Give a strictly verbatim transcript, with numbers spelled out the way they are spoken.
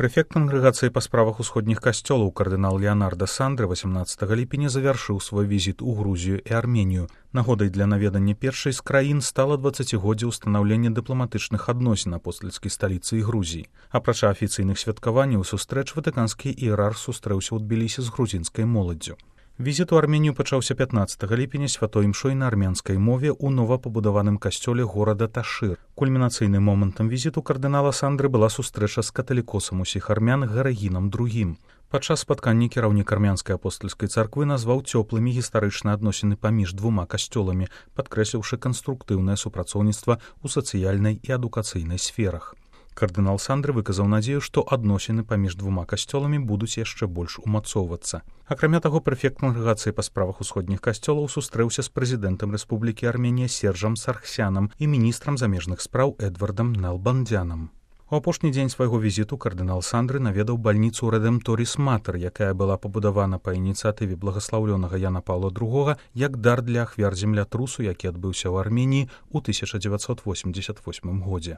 Прэфект кангрэгацыі па справах усходніх касцёлаў кардынал Леанарда Сандре васямнаццатага ліпеня завяршыў свой візіт у Грузію і Арменію. Нагодай для наведання першай з краін стала дваццацігоддзе ўстанаўлення дыпламатычных адносін апостальскай сталіцы і Грузіі. Апрача афіцыйных святкаванняў сустрэч ватыканскі іерарх сустрэўся ў Тбілісі з грузінскай моладдзю. Візіт у Арменію пачаўся пятнаццатага ліпеня святой імшой на армянскай мове ў новапабудаваным касцёле горада Ташыр. Кульмінацыйным момантам візіту кардынала Сандры была сустрэча з каталікосам усіх армян Гарагінам другім. Падчас спаткання кіраўнік армянскай апостальскай царквы назваў цёплымі гістарычныя адносіны паміж двума касцёламі, падкрэсліўшы канструктыўнае супрацоўніцтва ў сацыяльнай і адукацыйнай сферах. Кардынал Сандры выказаў надзею, што адносіны паміж двума касцёламі будуць яшчэ больш умацоўвацца. Акрамя таго, прэфект кангрэгацыі па справах усходніх касцёлаў сустрэўся з прэзідэнтам Рэспублікі Арменія Сержам Саргсянам і міністрам замежных спраў Эдвардам Налбандзянам. У апошні дзень свайго візіту кардынал Сандры наведаў бальніцу Рэдэмторіс Матэр, якая была пабудавана па ініцыятыве благаслаўлёнага Яна Паўла другога як дар для ахвяр землятрусу, які адбыўся ў Арменіі ў тысяча дзевяцьсот восемьдзесят восьмым годзе.